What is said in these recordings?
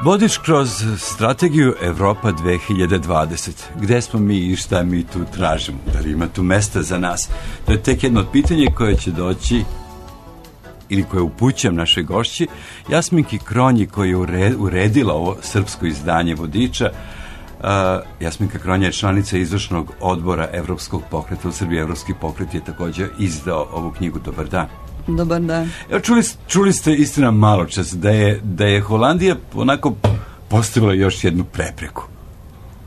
Vodič kroz strategiju Evropa 2020. Gde smo mi i šta mi tu tražimo? Da li ima tu mesta za nas? To je tek jedno pitanje koje će doći ili koje upućujem našoj gošći Jasminki Kronji, koja je uredila ovo srpsko izdanje Vodiča. Jasminka Kronja je članica izvršnog odbora Evropskog pokreta u Srbiji. Evropski pokret je također izdao ovu knjigu. Dobar dan. Dobar dan. Evo, čuli ste istina malo čas da je Holandija onako postavila još jednu prepreku.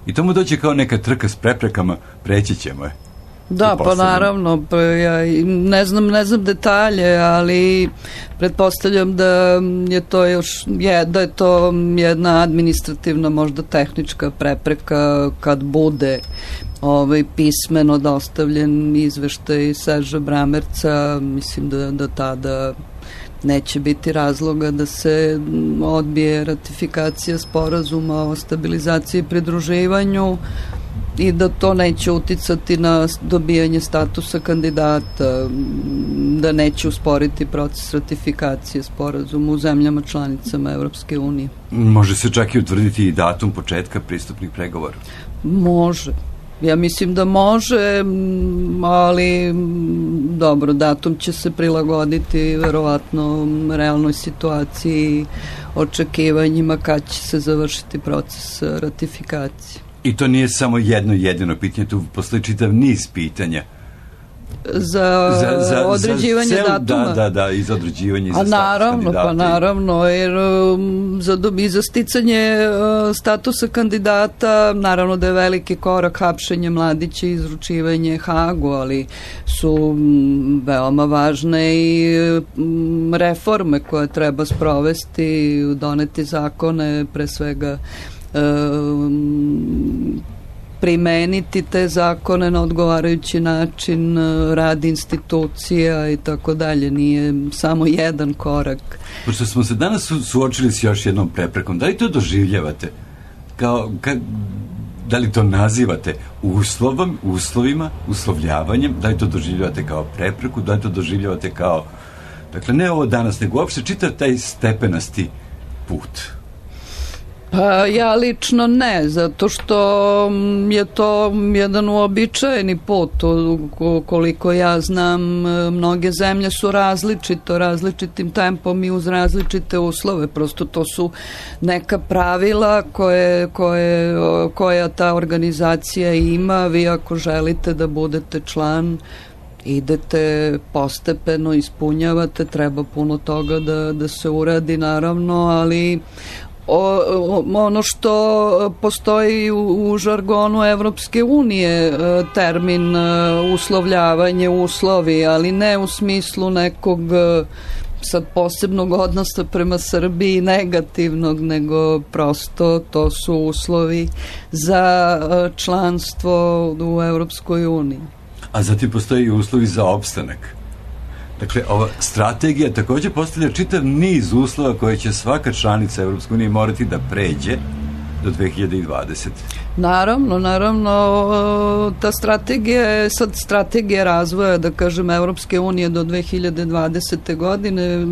I to mu dođe kao neka trka s preprekama, preći ćemo je. Da, pa naravno, ja ne znam detalje, ali pretpostavljam da je to da je to jedna administrativna, možda tehnička prepreka kad bude pismeno dostavljen izveštaj Serža Bramerca. Mislim da tada neće biti razloga da se odbije ratifikacija sporazuma o stabilizaciji i pridruživanju i da to neće uticati na dobijanje statusa kandidata, da neće usporiti proces ratifikacije sporazuma u zemljama članicama Evropske unije. Može se čak i utvrditi i datum početka pristupnih pregovora? Može. Ja mislim da može, ali dobro, datum će se prilagoditi verovatno realnoj situaciji, očekivanjima kad će se završiti proces ratifikacije. I to nije samo jedno jedino pitanje, tu postoji čitav niz pitanja. Za određivanje datuma? Da, i za određivanje za status kandidata. Pa naravno, jer za sticanje statusa kandidata, naravno da je veliki korak hapšenje mladića i izručivanje Hagu, ali su veoma važne i reforme koje treba sprovesti, doneti zakone, pre svega primeniti te zakone na odgovarajući način, rad institucija i tako dalje. Nije samo jedan korak. Pošto smo se danas suočili s još jednom preprekom, da li to doživljavate? Da li to nazivate uslovima, uslovljavanjem? Da li to doživljavate kao prepreku? Da li to doživljavate kao, dakle, ne ovo danas, nego uopšte čitav taj stepenasti put? Pa ja lično ne, zato što je to jedan uobičajeni put. Koliko ja znam, mnoge zemlje su različitim tempom i uz različite uslove. Prosto to su neka pravila koja ta organizacija ima. Vi ako želite da budete član, idete postepeno, ispunjavate, treba puno toga da se uradi, naravno, ali ono što postoji u žargonu Evropske unije, termin uslovljavanje, uslovi, ali ne u smislu nekog sad posebnog odnosa prema Srbiji negativnog, nego prosto to su uslovi za članstvo u Evropskoj uniji. A zatim postoji i uslovi za opstanak. Dakle, ova strategija također postavlja čitav niz uslova koje će svaka članica Evropske unije morati da pređe do 2020. Naravno, ta strategija je sad strategija razvoja, da kažem, Evropske unije do 2020. godine.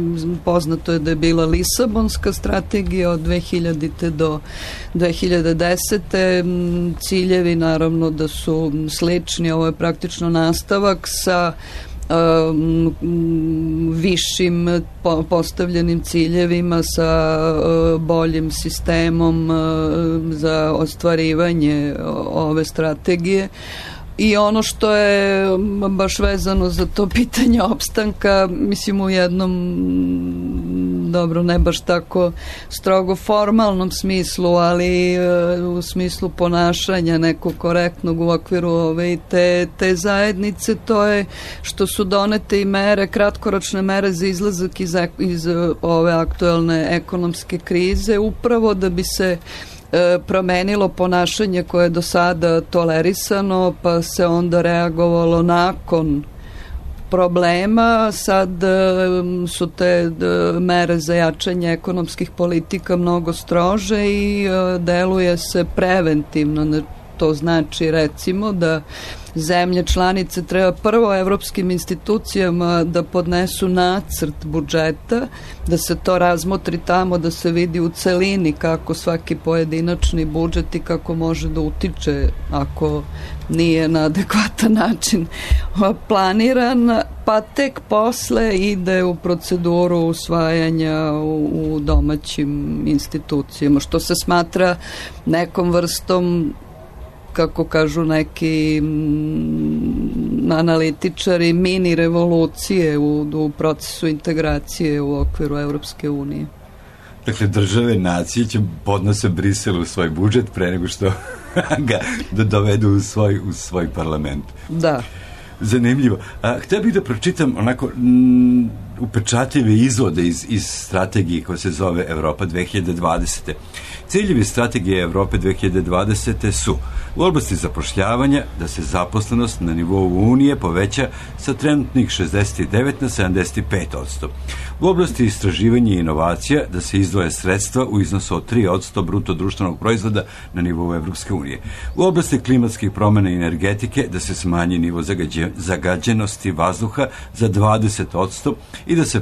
Poznato je da je bila Lisabonska strategija od 2000. do 2010. Ciljevi naravno da su slični, ovo je praktično nastavak sa višim postavljenim ciljevima, sa boljim sistemom za ostvarivanje ove strategije. I ono što je baš vezano za to pitanje opstanka, mislim u jednom, dobro, ne baš tako strogo formalnom smislu, ali u smislu ponašanja nekog korektnog u okviru te zajednice, to je što su donete i mere, kratkoročne mere za izlazak iz ove aktuelne ekonomske krize, upravo da bi se promenilo ponašanje koje je do sada tolerisano, pa se onda reagovalo nakon problema. Sad su te mere za jačanje ekonomskih politika mnogo strože i deluje se preventivno. to znači recimo da zemlje članice treba prvo evropskim institucijama da podnesu nacrt budžeta, da se to razmotri tamo, da se vidi u celini kako svaki pojedinačni budžet i kako može da utiče ako nije na adekvatan način planiran, pa tek posle ide u proceduru usvajanja u domaćim institucijama, što se smatra nekom vrstom, kako kažu neki analitičari, mini revolucije u procesu integracije u okviru Evropske unije. Dakle, države, nacije će podnose Briselu svoj budžet pre nego što ga dovedu u svoj parlament. Da. Zanimljivo. Htio bih da pročitam onako upečatljive izvode iz strategije koja se zove Evropa 2020. Ciljevi strategije Evrope 2020. su u oblasti zapošljavanja da se zaposlenost na nivou Unije poveća sa trenutnih 69 na 75%. U oblasti istraživanja i inovacija da se izdvoje sredstva u iznosu od 3% bruto društvenog proizvoda na nivou Evropske unije. U oblasti klimatskih promjena i energetike da se smanji nivo zagađenosti vazduha za 20% i da se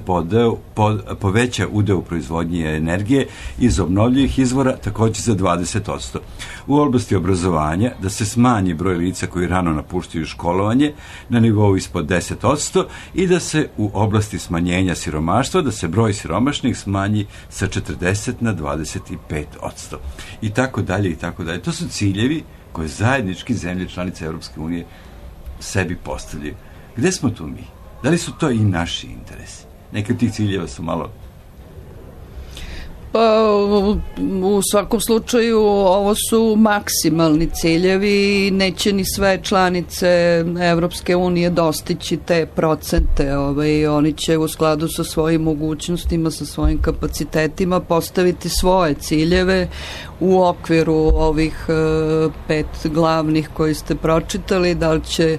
poveća udeo proizvodnje energije iz obnovljivih izvora također za 20%. U oblasti obrazovanja da se smanji broj lica koji rano napuštaju školovanje na nivou ispod 10% i da se u oblasti smanjenja siromaštva da se broj siromašnih smanji sa 40 na 25%. I tako dalje, i tako dalje. To su ciljevi koje zajednički zemlje članice Europske unije sebi postavljaju. Gde smo tu mi? Da li su to i naši interesi? Neki od tih ciljeva su malo... Pa, u svakom slučaju ovo su maksimalni ciljevi i neće ni sve članice Evropske unije dostići te procente. Oni će u skladu sa svojim mogućnostima, sa svojim kapacitetima postaviti svoje ciljeve u okviru ovih 5 glavnih koji ste pročitali. Da li će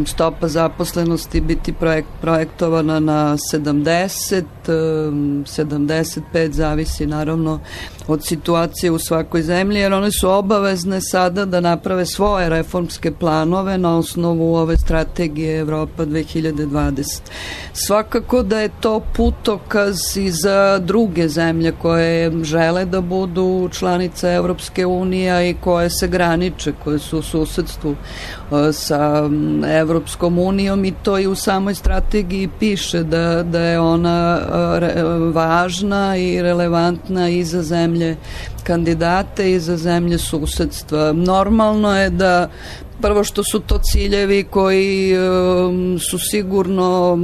stopa zaposlenosti biti projektovana na 70, 75, zavisi naravno od situacije u svakoj zemlji, jer one su obavezne sada da naprave svoje reformske planove na osnovu ove strategije Evropa 2020. Svakako da je to putokaz i za druge zemlje koje žele da budu članice Evropske unije i koje se graniče, koje su u susedstvu sa Evropskom unijom, i to i u samoj strategiji piše da je ona važna i relevantna i za zemlje kandidate i za zemlje susedstva. Normalno je da prvo što su to ciljevi koji su sigurno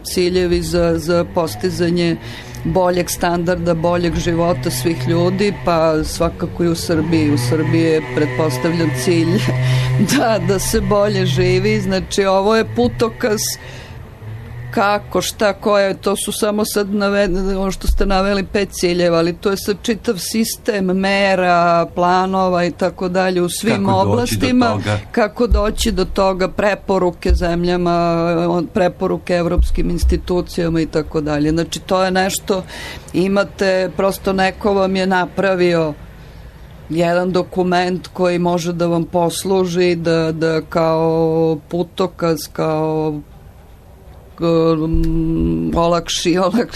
ciljevi za postizanje boljeg standarda, boljeg života svih ljudi, pa svakako i u Srbiji. U Srbiji je pretpostavljan cilj da se bolje živi. Znači, ovo je putokaz kako, šta, koje, to su samo sad ono što ste naveli 5 ciljeva, ali to je sad čitav sistem mera, planova i tako dalje u svim oblastima, kako doći do toga, preporuke zemljama, preporuke evropskim institucijama i tako dalje. Znači, to je nešto, imate, prosto neko vam je napravio jedan dokument koji može da vam posluži da kao putokaz, kao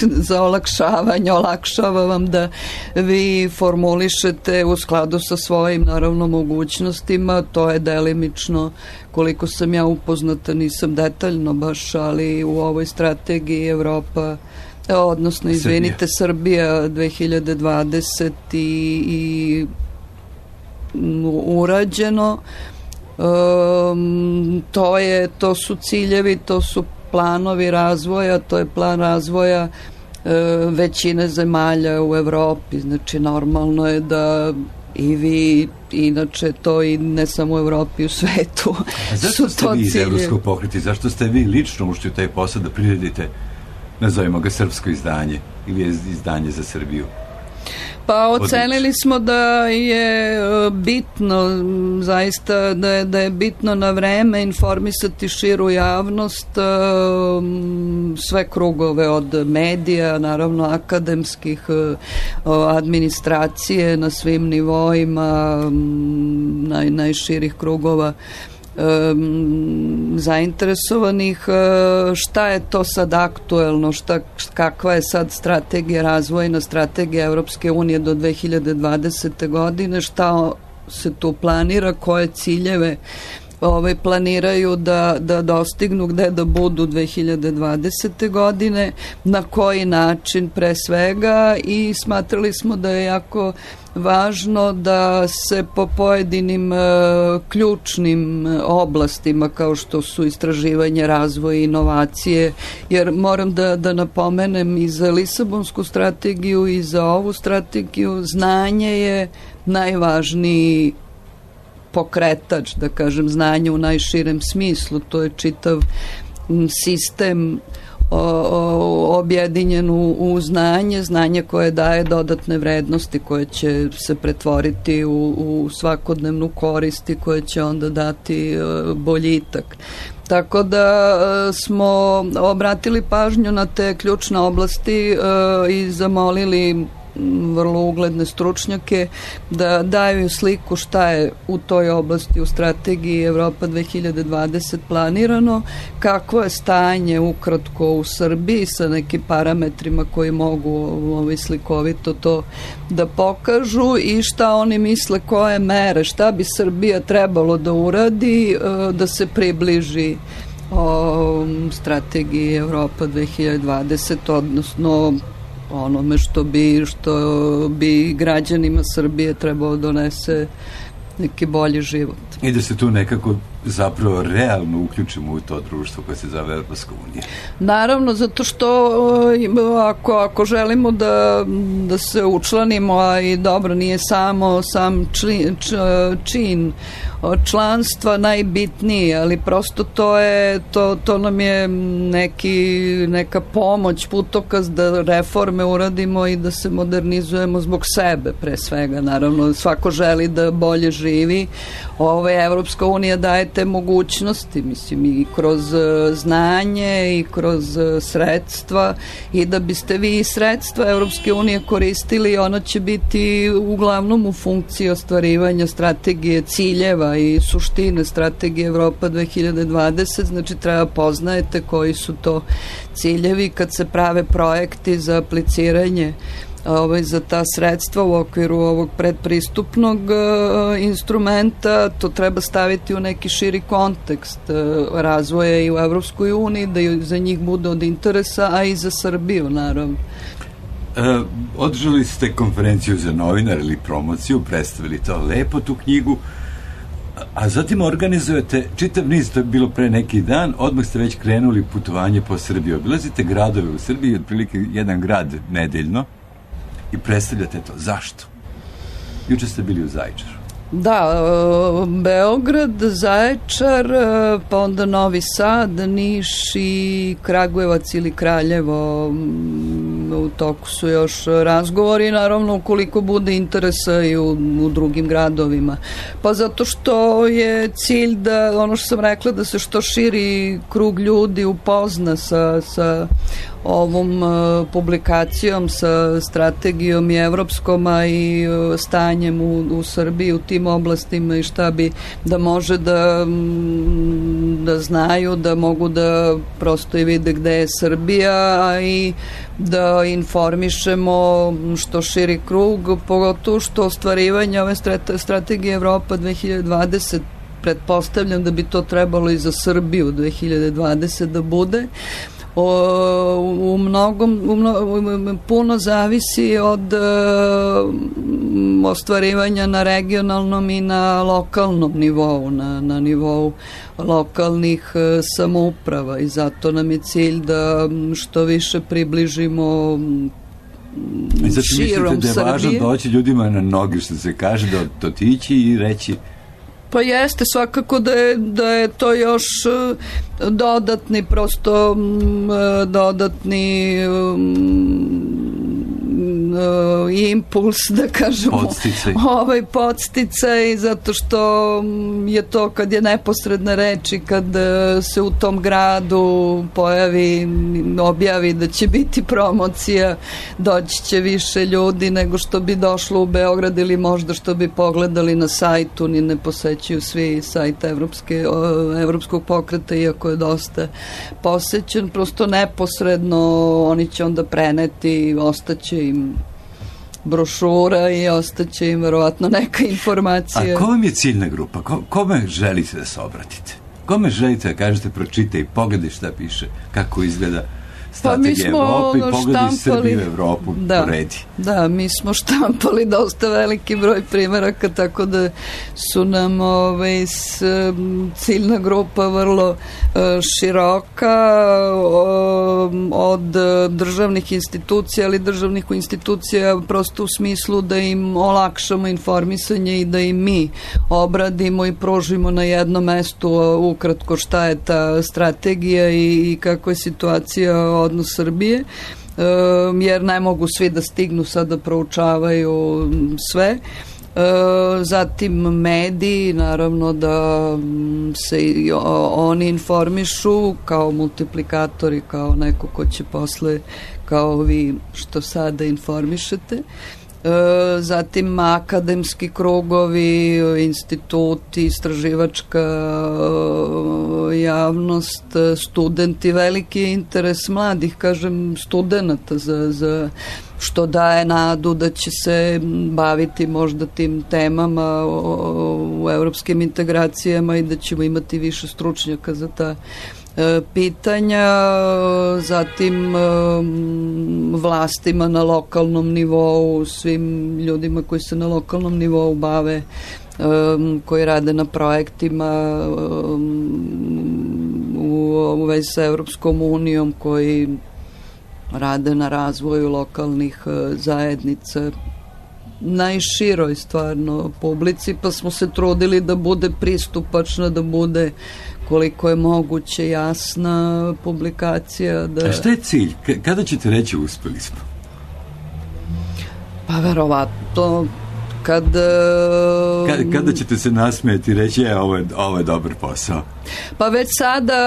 za olakšavanje, olakšava vam da vi formulišete u skladu sa svojim naravno mogućnostima. To je delimično, koliko sam ja upoznata, nisam detaljno baš, ali u ovoj strategiji Evropa, odnosno izvinite, Srbija 2020 i urađeno. To su ciljevi, to su planovi razvoja, to je plan razvoja većine zemalja u Evropi. Znači, normalno je da i vi, inače to i ne samo u Evropi, u svetu. A zašto ste vi iz Evropskog pokreta? Zašto ste vi lično ušli u taj posao da priredite, nazovimo ga, srpsko izdanje ili izdanje za Srbiju? Pa ocenili smo da je bitno, zaista da je bitno na vreme informisati širu javnost, sve krugove od medija, naravno akademskih, administracije na svim nivoima, najširih krugova zainteresovanih, šta je to sad aktuelno, kakva je sad strategija, razvojna strategija Evropske unije do 2020. godine, šta se tu planira, koje ciljeve planiraju da dostignu, gde da budu 2020. godine, na koji način pre svega, i smatrali smo da je jako važno da se po pojedinim ključnim oblastima kao što su istraživanje, razvoj i inovacije, jer moram da napomenem i za Lisabonsku strategiju i za ovu strategiju znanje je najvažniji pokretač, da kažem, znanje u najširem smislu. To je čitav sistem objedinjen u znanje koje daje dodatne vrednosti, koje će se pretvoriti u svakodnevnu korist i koje će onda dati boljitak. Tako da smo obratili pažnju na te ključne oblasti i zamolili vrlo ugledne stručnjake da daju sliku šta je u toj oblasti u strategiji Evropa 2020 planirano, kakvo je stanje ukratko u Srbiji sa nekim parametrima koji mogu slikovito to da pokažu i šta oni misle koje mere, šta bi Srbija trebalo da uradi da se približi strategiji Evropa 2020, odnosno onome što bi građanima Srbije trebalo donese neki bolji život. I da se tu nekako zapravo realno uključimo u to društvo koje se zove Evropska unija. Naravno, zato što ako želimo da se učlanimo, a i dobro, nije samo sam čin članstva najbitniji, ali prosto to nam je neka pomoć, putokaz da reforme uradimo i da se modernizujemo zbog sebe pre svega. Naravno, svako želi da bolje živi. Evropska unija daje te mogućnosti, mislim, i kroz znanje i kroz sredstva, i da biste vi sredstva Evropske unije koristili, ona će biti uglavnom u funkciji ostvarivanja strategije, ciljeva i suštine strategije Evropa 2020, znači treba poznajete koji su to ciljevi kad se prave projekti za apliciranje za ta sredstva u okviru ovog predpristupnog instrumenta. To treba staviti u neki širi kontekst razvoja i u Evropskoj uniji, da za njih bude od interesa, a i za Srbiju, naravno. Održali ste konferenciju za novinar ili promociju, predstavili to lepo, tu knjigu, a zatim organizujete čitav niz, to je bilo pre neki dan, odmah ste već krenuli putovanje po Srbiji. Obilazite gradove u Srbiji, otprilike jedan grad nedeljno, i predstavljate to. Zašto? Juče ste bili u Zaječaru. Da, Beograd, Zaječar, pa onda Novi Sad, Niš i Kragujevac ili Kraljevo. U toku su još razgovori, naravno ukoliko bude interesa i u drugim gradovima. Pa zato što je cilj da, ono što sam rekla, da se što širi krug ljudi upozna sa ovom publikacijom, sa strategijom i evropskom, a i stanjem u Srbiji u tim oblastima i šta bi da može da znaju, da mogu da prosto i vide gde je Srbija, a i da informišemo što širi krug, pogotovo što ostvarivanje ove strategije Evropa 2020, pretpostavljam da bi to trebalo i za Srbiju 2020 da bude. Puno zavisi od ostvarivanja na regionalnom i na lokalnom nivou, na nivou lokalnih samouprava, i zato nam je cilj da što više približimo širom Srbije. Mislite da je važno doći ljudima na noge, što se kaže, da otići i reći? Pa jeste, svakako da je to još dodatni impuls, da kažemo, podsticaj, zato što je to kad je neposredna reč i kad se u tom gradu objavi da će biti promocija, doći će više ljudi nego što bi došlo u Beograd ili možda što bi pogledali na sajtu, ni ne posećuju svi sajt Evropskog pokreta, iako je dosta posećen, prosto neposredno oni će onda preneti, ostaće im brošura i ostaće im verovatno neka informacija. A ko vam je ciljna grupa? Kome želite da se obratite? Kome želite da kažete, pročitaj i pogledaj šta piše, kako izgleda strategija Evrope i pogledaj Srbiju Evropu poredi. Da, mi smo štampali dosta veliki broj primjeraka, tako da su nam ciljna grupa vrlo široka, od državnih institucija, ali državnih institucija prosto u smislu da im olakšamo informisanje i da im mi obradimo i pružimo na jednom mestu ukratko šta je ta strategija i kakva je situacija odnos Srbije, jer ne mogu svi da stignu sad da proučavaju sve. Zatim mediji, naravno da se oni informišu kao multiplikatori, kao neko ko će posle, kao vi što sada informišete. Zatim akademski krugovi, instituti, istraživačka javnost, studenti, veliki interes mladih, kažem, studenata za što daje nadu da će se baviti možda tim temama u evropskim integracijama i da ćemo imati više stručnjaka za ta pitanja. Zatim vlastima na lokalnom nivou, svim ljudima koji se na lokalnom nivou bave, koji rade na projektima u vezi sa Evropskom unijom, koji rade na razvoju lokalnih zajednica, najširoj stvarno publici, pa smo se trudili da bude pristupačna, da bude koliko je moguće jasna publikacija. A šta je cilj? Kada ćete reći uspeli smo? Pa verovatno kada ćete se nasmijeti i reći ovo je dobar posao? Pa već sada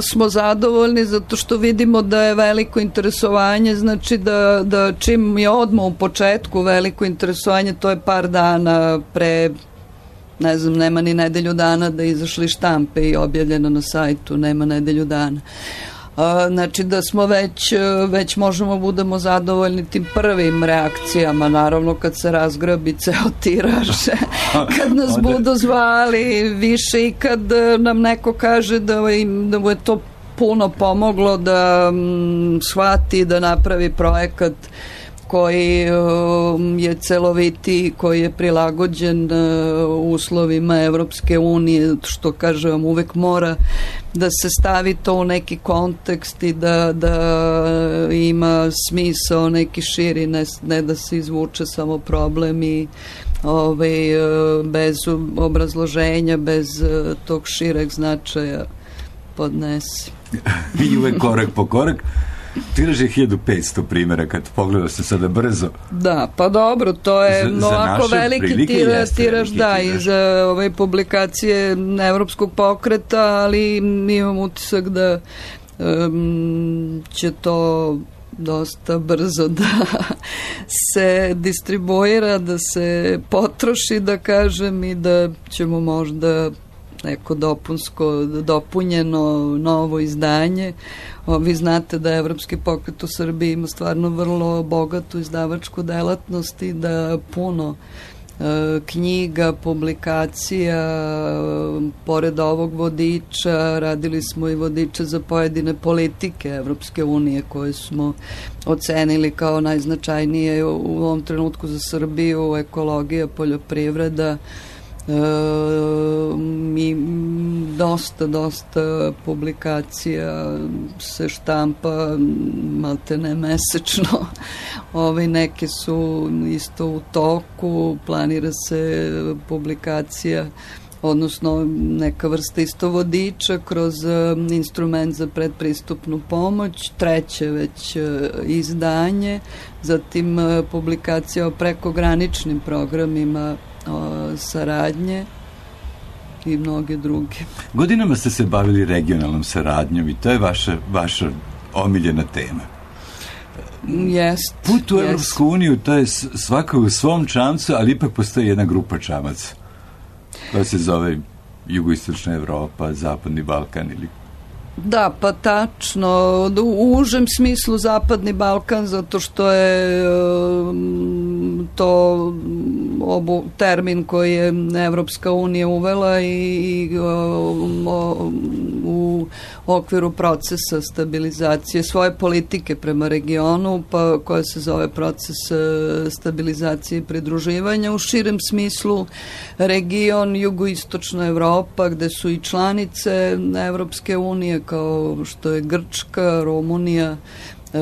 smo zadovoljni zato što vidimo da je veliko interesovanje, znači da čim je odmah u početku veliko interesovanje, to je par dana pre, ne znam, nema ni nedelju dana da izašli štampe i objavljeno na sajtu, nema nedelju dana. Znači da smo već možemo budemo zadovoljni tim prvim reakcijama, naravno kad se razgrabi ceo tiraž, kad nas budu zvali više i kad nam neko kaže da mu je to puno pomoglo da shvati, da napravi projekat koji je celoviti, koji je prilagođen uslovima Evropske unije, što kažem, uvek mora da se stavi to u neki kontekst i da ima smisao neki širi, ne da se izvuče samo problem i bez obrazloženja, bez tog šireg značaja podnesi. I uvek korak po korak. Tiraž je 1500 primjera, kad pogledao se sada brzo. Da, pa dobro, to je ovako veliki tiraž, da, i za ove publikacije Evropskog pokreta, ali imam utisak da će to dosta brzo da se distribuira, da se potroši, da kažem, i da ćemo možda neko dopunjeno novo izdanje. Vi znate da Evropski pokret u Srbiji ima stvarno vrlo bogatu izdavačku delatnost i da puno knjiga, publikacija, pored ovog vodiča, radili smo i vodiče za pojedine politike Evropske unije koje smo ocenili kao najznačajnije u ovom trenutku za Srbiju, ekologija, poljoprivreda, i dosta publikacija se štampa maltene mesečno. Neke su isto u toku, planira se publikacija odnosno neka vrsta istovodiča kroz instrument za predpristupnu pomoć, treće već izdanje, zatim publikacija o prekograničnim programima saradnje i mnoge druge. Godinama ste se bavili regionalnom saradnjom i to je vaša omiljena tema. Jest. Put u Evropsku uniju, to je svako u svom čamcu, ali ipak postoji jedna grupa čamaca koja se zove Jugoistočna Evropa, Zapadni Balkan ili... Da, pa tačno. U užem smislu Zapadni Balkan, zato što je to termin koji je Evropska unija uvela i u okviru procesa stabilizacije svoje politike prema regionu, pa koja se zove proces stabilizacije i pridruživanja. U širem smislu region Jugoistočna Evropa, gde su i članice Evropske unije kao što je Grčka, Rumunija,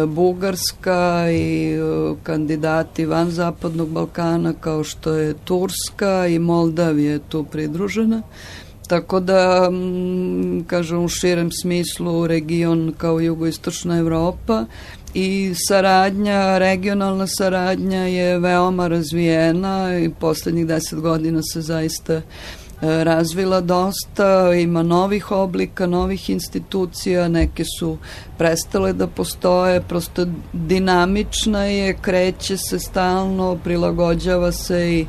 Bugarska i kandidati van Zapadnog Balkana kao što je Turska i Moldavija je tu pridružena. Tako da, kažem, u širem smislu region kao Jugoistočna Evropa i saradnja, regionalna saradnja je veoma razvijena i poslednjih 10 godina se zaista razvila dosta, ima novih oblika, novih institucija, neke su prestale da postoje, prosto dinamična je, kreće se stalno, prilagođava se i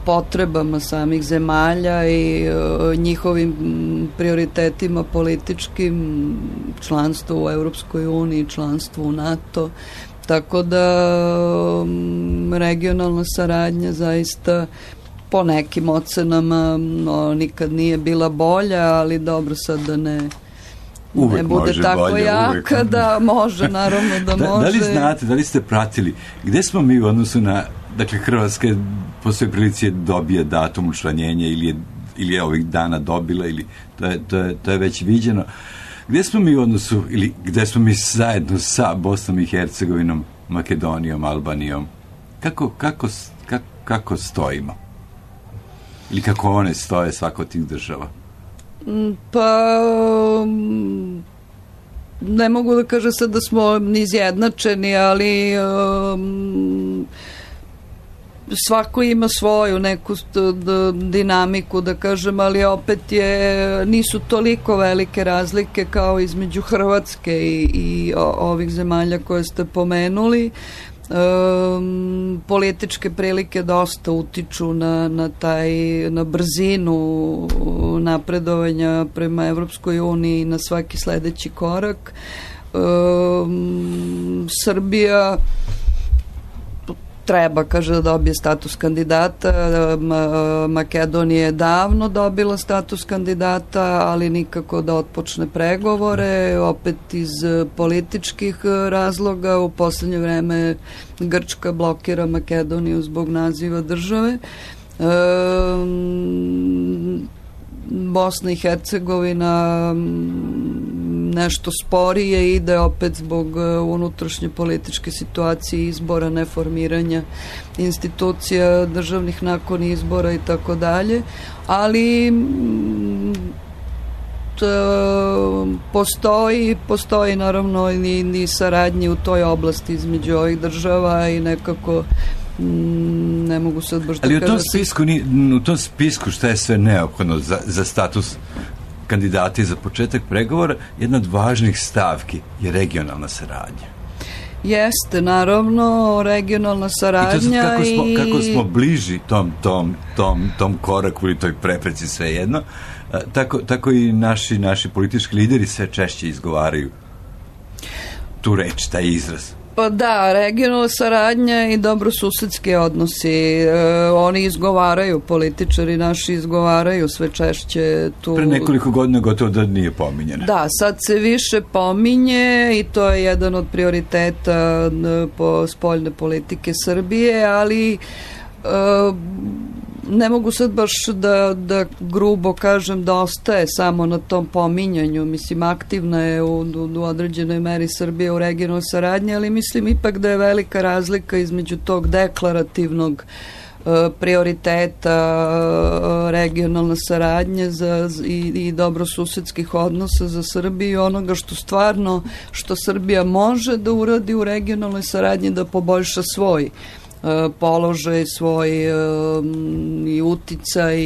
potrebama samih zemalja i njihovim prioritetima političkim, članstvo u Evropskoj uniji, članstvo u NATO, tako da regionalna saradnja zaista po nekim ocenama nikad nije bila bolja, ali dobro sad da ne bude tako bolje, jaka, da može, naravno da može. Da li znate, da li ste pratili, gde smo mi u odnosu na, dakle, Hrvatska po svoj prilici dobije datum učlanjenja ili je ovih dana dobila, ili to je već viđeno. Gde smo mi u odnosu, ili gde smo mi zajedno sa Bosnom i Hercegovinom, Makedonijom, Albanijom? Kako stojimo? Ili kako one stoje svako od tih država? Pa ne mogu da kažem sad da smo izjednačeni, ali svako ima svoju neku dinamiku, da kažem, ali opet nisu toliko velike razlike kao između Hrvatske i ovih zemalja koje ste pomenuli. Političke prilike dosta utiču na brzinu napredovanja prema Evropskoj uniji, na svaki sledeći korak. Srbija treba, kaže, da dobije status kandidata. Makedonija je davno dobila status kandidata, ali nikako da otpočne pregovore, opet iz političkih razloga. U poslednje vreme Grčka blokira Makedoniju zbog naziva države. Bosna i Hercegovina nešto sporije ide opet zbog unutrašnje političke situacije, izbora, neformiranja institucija državnih nakon izbora i tako dalje, ali postoji naravno i saradnje u toj oblasti između ovih država i nekako ne mogu sad baš da kažem. Ali u tom spisku šta je sve neophodno za status kandidata i za početak pregovora, jedna od važnih stavki je regionalna saradnja. Jeste, naravno, regionalna saradnja i kako smo bliži tom koraku ili toj prepreci, svejedno, tako i naši politički lideri sve češće izgovaraju tu reč, taj izraz. Pa da, regionalna saradnja i dobrosusedski odnosi, oni izgovaraju, političari naši izgovaraju sve češće tu. Pre nekoliko godina gotovo da nije pominjeno. Da, sad se više pominje i to je jedan od prioriteta po spoljne politike Srbije, ali ne mogu sad baš da grubo kažem da ostaje samo na tom pominjanju. Mislim, aktivna je u određenoj meri Srbije u regionalnoj saradnji, ali mislim ipak da je velika razlika između tog deklarativnog prioriteta regionalna saradnja i dobrosusedskih odnosa za Srbiju i onoga što Srbija može da uradi u regionalnoj saradnji da poboljša svoj položaj, svoj i uticaj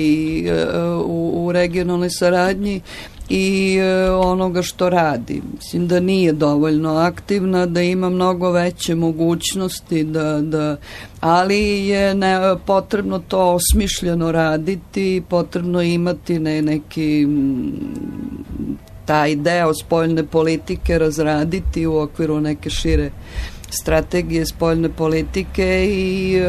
u regionalnoj saradnji i onoga što radi. Mislim da nije dovoljno aktivna, da ima mnogo veće mogućnosti, ali je potrebno to osmišljeno raditi, potrebno imati neki taj deo spoljne politike razraditi u okviru neke šire strategije spoljne politike i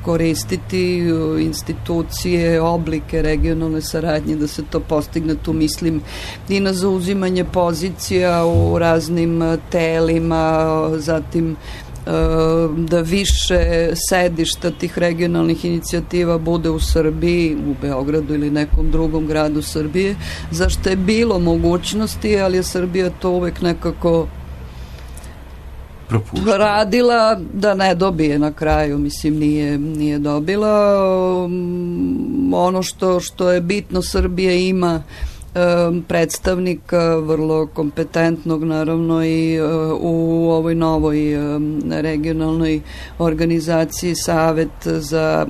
koristiti institucije, oblike regionalne saradnje da se to postigne. Tu mislim i na zauzimanje pozicija u raznim telima, zatim da više sedišta tih regionalnih inicijativa bude u Srbiji, u Beogradu ili nekom drugom gradu Srbije, zašto je bilo mogućnosti, ali je Srbija to uvek nekako radila da ne dobije na kraju, mislim nije dobila. Ono što je bitno, Srbija ima predstavnika vrlo kompetentnog naravno i u ovoj novoj regionalnoj organizaciji Savet za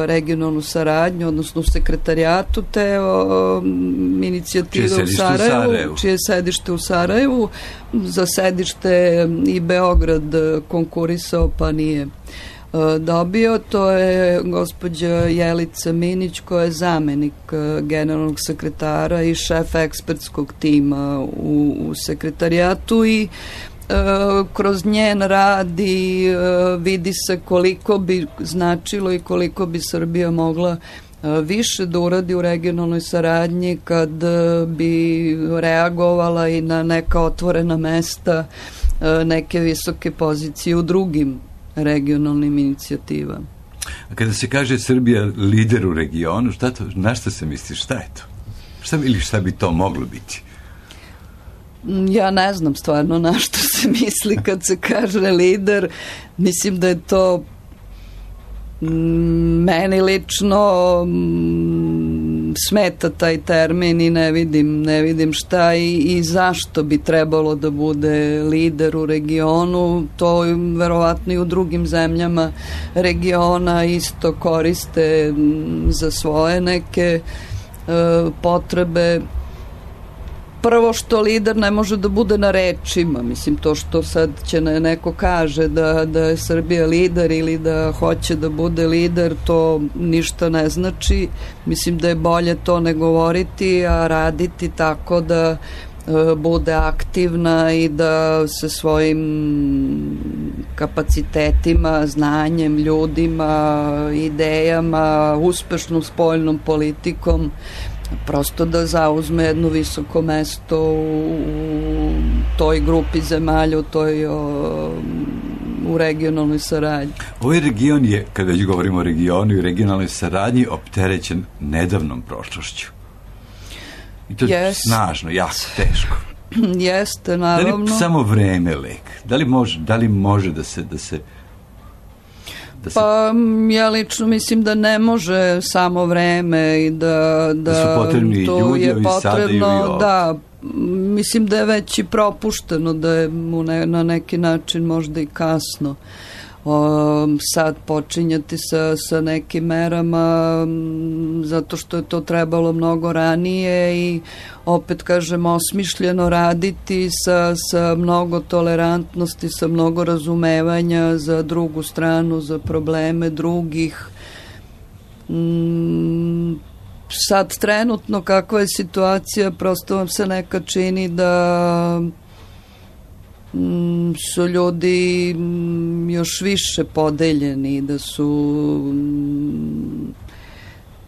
regionalnu saradnju, odnosno u sekretarijatu te inicijative u Sarajevu, čije sedište u Sarajevu. Za sedište i Beograd konkurisao pa nije dobio. To je gospođa Jelica Minić, koja je zamenik generalnog sekretara i šef ekspertskog tima u sekretarijatu i kroz njen rad i vidi se koliko bi značilo i koliko bi Srbija mogla više da uradi u regionalnoj saradnji kad bi reagovala i na neka otvorena mesta, neke visoke pozicije u drugim regionalnim inicijativama. A kada se kaže Srbija lider u regionu, na šta se misli, šta je to? Šta bi to moglo biti? Ja ne znam stvarno na što se misli kad se kaže lider. Mislim da je to meni lično smeta taj termin i ne vidim šta i zašto bi trebalo da bude lider u regionu. To verovatno i u drugim zemljama regiona isto koriste za svoje neke potrebe. Prvo što lider ne može da bude na rečima, mislim to što sad će neko kaže da je Srbija lider ili da hoće da bude lider, to ništa ne znači. Mislim da je bolje to ne govoriti, a raditi tako da bude aktivna i da se svojim kapacitetima, znanjem, ljudima, idejama, uspešnom spoljnom politikom prosto da zauzme jedno visoko mesto u toj grupi zemalja, u regionalnoj saradnji. Ovaj region je, kada već govorimo o regionu i regionalnoj saradnji, opterećen nedavnom prošlošću. I to je snažno, jako teško. Jeste, naravno. Da li samo vreme lek? Da li može da se Pa ja lično mislim da ne može samo vreme i da su potrebni i ljudi je potrebno, da, mislim da je već i propušteno, da je na neki način možda i kasno sad počinjati sa nekim merama, zato što je to trebalo mnogo ranije i opet kažem osmišljeno raditi sa mnogo tolerantnosti, sa mnogo razumevanja za drugu stranu, za probleme drugih. Sad trenutno kakva je situacija, prosto vam se nekad čini da su ljudi još više podeljeni, da su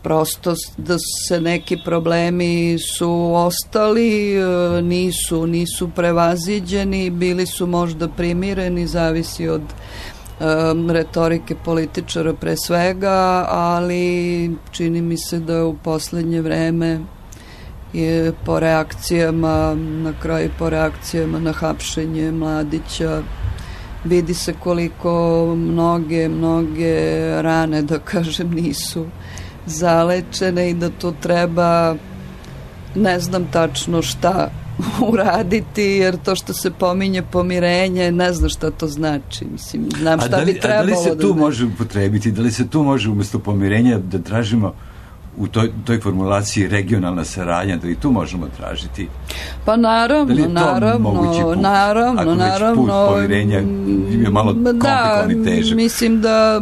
prosto da se neki problemi su ostali, nisu prevaziđeni, bili su možda primireni, zavisi od retorike političara pre svega, ali čini mi se da u poslednje vreme je po reakcijama na hapšenje Mladića vidi se koliko mnoge rane, da kažem, nisu zalečene i da to treba, ne znam tačno šta uraditi, jer to što se pominje pomirenje, ne znam šta to znači. Mislim, znam šta bi trebalo da znači. Da li se tu može upotrebiti, da li se tu može umjesto pomirenja da tražimo u toj formulaciji regionalna saradnja, da i tu možemo tražiti? Pa naravno, Ako već put pomirenja je malo komplikovan i težak. Mislim da,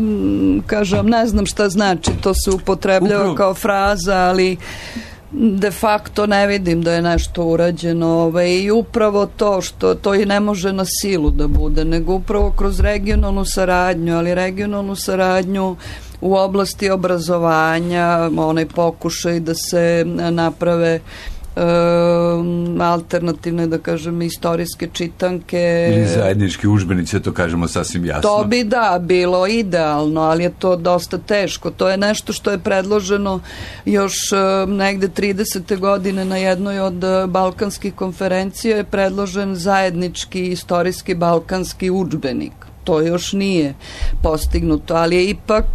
kažem, ne znam šta znači, to se upotrebljava kao fraza, ali de facto ne vidim da je nešto urađeno i upravo to što to i ne može na silu da bude, nego upravo kroz regionalnu saradnju, ali regionalnu saradnju u oblasti obrazovanja, onaj pokušaj da se naprave alternativne, da kažem, istorijske čitanke ili zajednički udžbenici, to kažemo sasvim jasno. To bi bilo idealno, ali je to dosta teško. To je nešto što je predloženo još negde 30. godine na jednoj od balkanskih konferencija je predložen zajednički istorijski balkanski udžbenik. To još nije postignuto, ali je ipak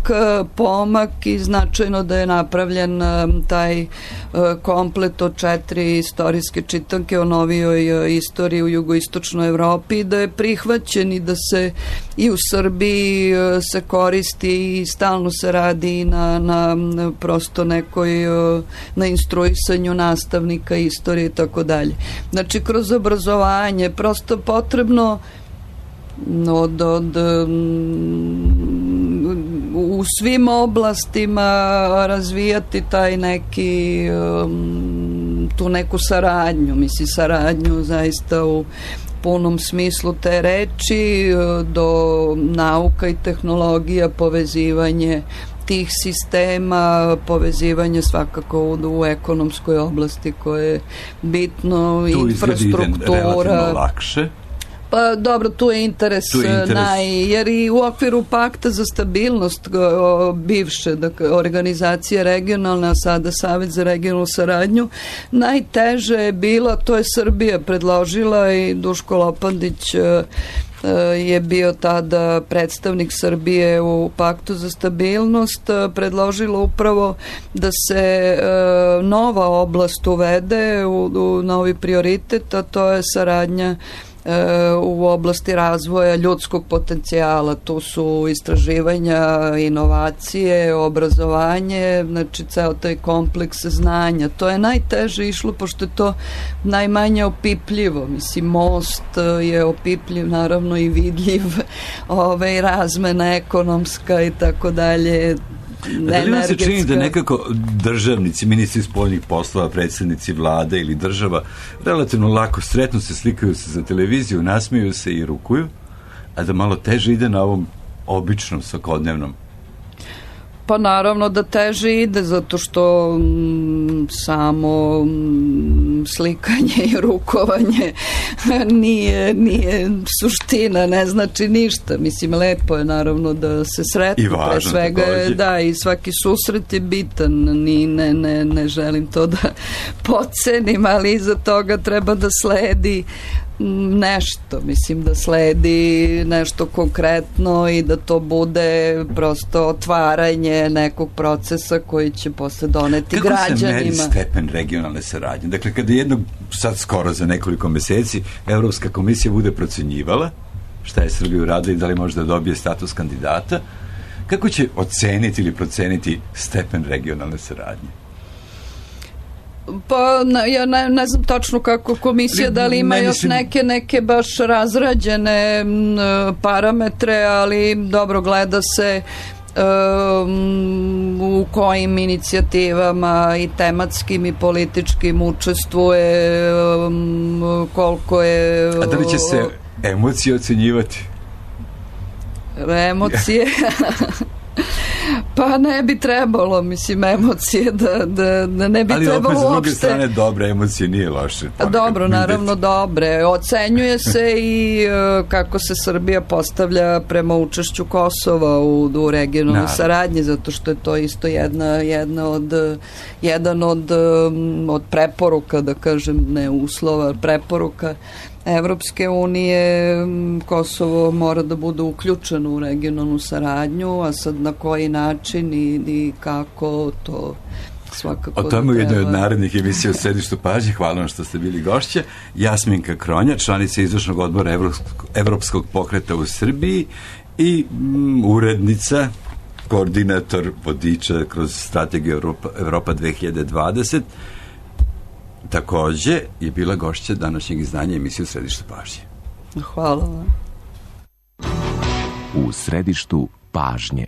pomak i značajno da je napravljen taj komplet od 4 istorijske čitanke o novijoj istoriji u jugoistočnoj Evropi, da je prihvaćen i da se i u Srbiji se koristi i stalno se radi na prosto nekoj na instruisanju nastavnika istorije i tako dalje. Znači, kroz obrazovanje prosto potrebno u svim oblastima razvijati taj neki tu neku saradnju, mislim saradnju zaista u punom smislu te reči, do nauka i tehnologija, povezivanje tih sistema, povezivanje svakako u ekonomskoj oblasti koje je bitno, infrastruktura. Tu izgleda relativno lakše. Pa dobro, tu je interes. Jer i u okviru Pakta za stabilnost bivše organizacije regionalne, a sada Savet za regionalnu saradnju, najteže je bila, to je Srbija predložila i Duško Lopandić je bio tada predstavnik Srbije u Paktu za stabilnost, predložilo upravo da se nova oblast uvede u novi prioritet, a to je saradnja u oblasti razvoja ljudskog potencijala. Tu su istraživanja, inovacije, obrazovanje, znači ceo taj kompleks znanja. To je najteže išlo, pošto je to najmanje opipljivo. Mislim, most je opipljiv, naravno i vidljiv, razmena ekonomska i tako dalje. Da li vam se čini da nekako državnici, ministri spoljnih poslova, predsjednici vlade ili država relativno lako sretno se, slikaju se za televiziju, nasmiju se i rukuju, a da malo teže ide na ovom običnom, svakodnevnom? Pa naravno da teže ide, zato što samo slikanje i rukovanje nije suština, ne znači ništa. Mislim, lepo je naravno da se sretnu, i važno, pre svega i svaki susret je bitan, ne želim to da podcenim, ali iza toga treba da sledi nešto, mislim da sledi nešto konkretno i da to bude prosto otvaranje nekog procesa koji će posle doneti građanima. Kako se meri stepen regionalne saradnje? Dakle, kada jednog, sad skoro za nekoliko meseci, Evropska komisija bude procenjivala šta je Srbija uradila i da li može da dobije status kandidata, kako će oceniti ili proceniti stepen regionalne saradnje? Pa ja ne znam tačno kako komisija, da li ima još neke baš razrađene parametre, ali dobro, gleda se u kojim inicijativama i tematskim i političkim učestvuje, koliko je... A da li će se emocije ocenjivati? Emocije... Pa ne bi trebalo, mislim, emocije da ne bi trebalo uopšte. Ali opet s druge strane dobre emocije nije loše. Dobro, naravno dobre. Ocenjuje se i kako se Srbija postavlja prema učešću Kosova u regionalnoj saradnji, zato što je to isto jedan od preporuka, da kažem, ne uslova, preporuka Evropske unije Kosovo mora da bude uključeno u regionalnu saradnju, a sad na koji način i kako, to svakako o tome u jednoj od narednih emisija u Središtu pažnje. Hvala vam što ste bili gošće. Jasminka Kronja, članica izvršnog odbora Evropskog pokreta u Srbiji i urednica, koordinator vodiča kroz strategiju Evropa 2020. Takođe je bila gošća današnjeg izdanja emisije u Središtu pažnje. Hvala vam. U Središtu pažnje.